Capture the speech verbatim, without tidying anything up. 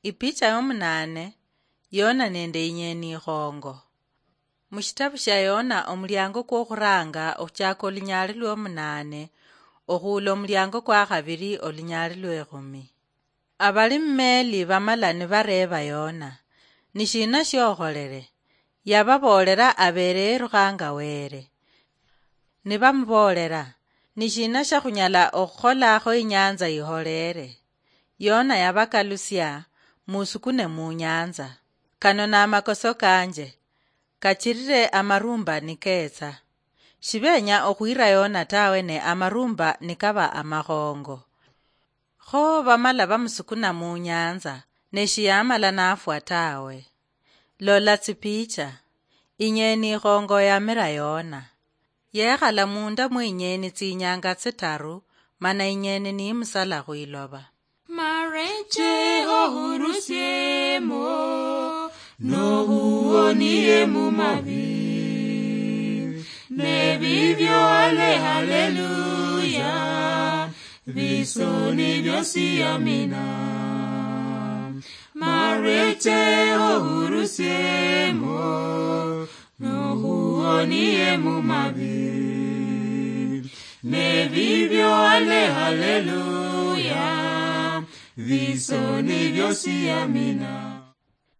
Ipicha yomunane. Yona nende inyeni ikhongo. Mushitabu shia Yona, omuliango kwokhuranga okhuchaka olunyaali lwomunane okhuula omuliango kwakhabili olunyaali lwekhumi. Abali mumeli bamala nibareeba Yona, "Nishina shiokholele?" Yababoolera abeele yerukhanga Wele. Nibamuboolela, "Nishina shakhunyala okhukholakho inyanza iholeele?" Yona yabakalusia, "Musukune munyanza. Kano namakoso kanje. Kachirire amarumba niketsa." Shibenya okhwira Yona tawe ne amarumba nikaba amakhongo. Kho bamala bamusukuna munyanza, ne shiyamala nafwa tawe. Lola tsipicha. Inyeni ikhongo yamira Yona. Yekhala munda mwe inyeni tsinyanga tsitaru, mana inyeni nimusala khwiloba. Mareche ohurusiemo, nohuonie mumavi. Nebibyo ale haleluya, bisoni byosi amina. Mareche ohurusiemo, nohuonie mumavi. Nebibyo ale haleluya, bisoni byosi amina.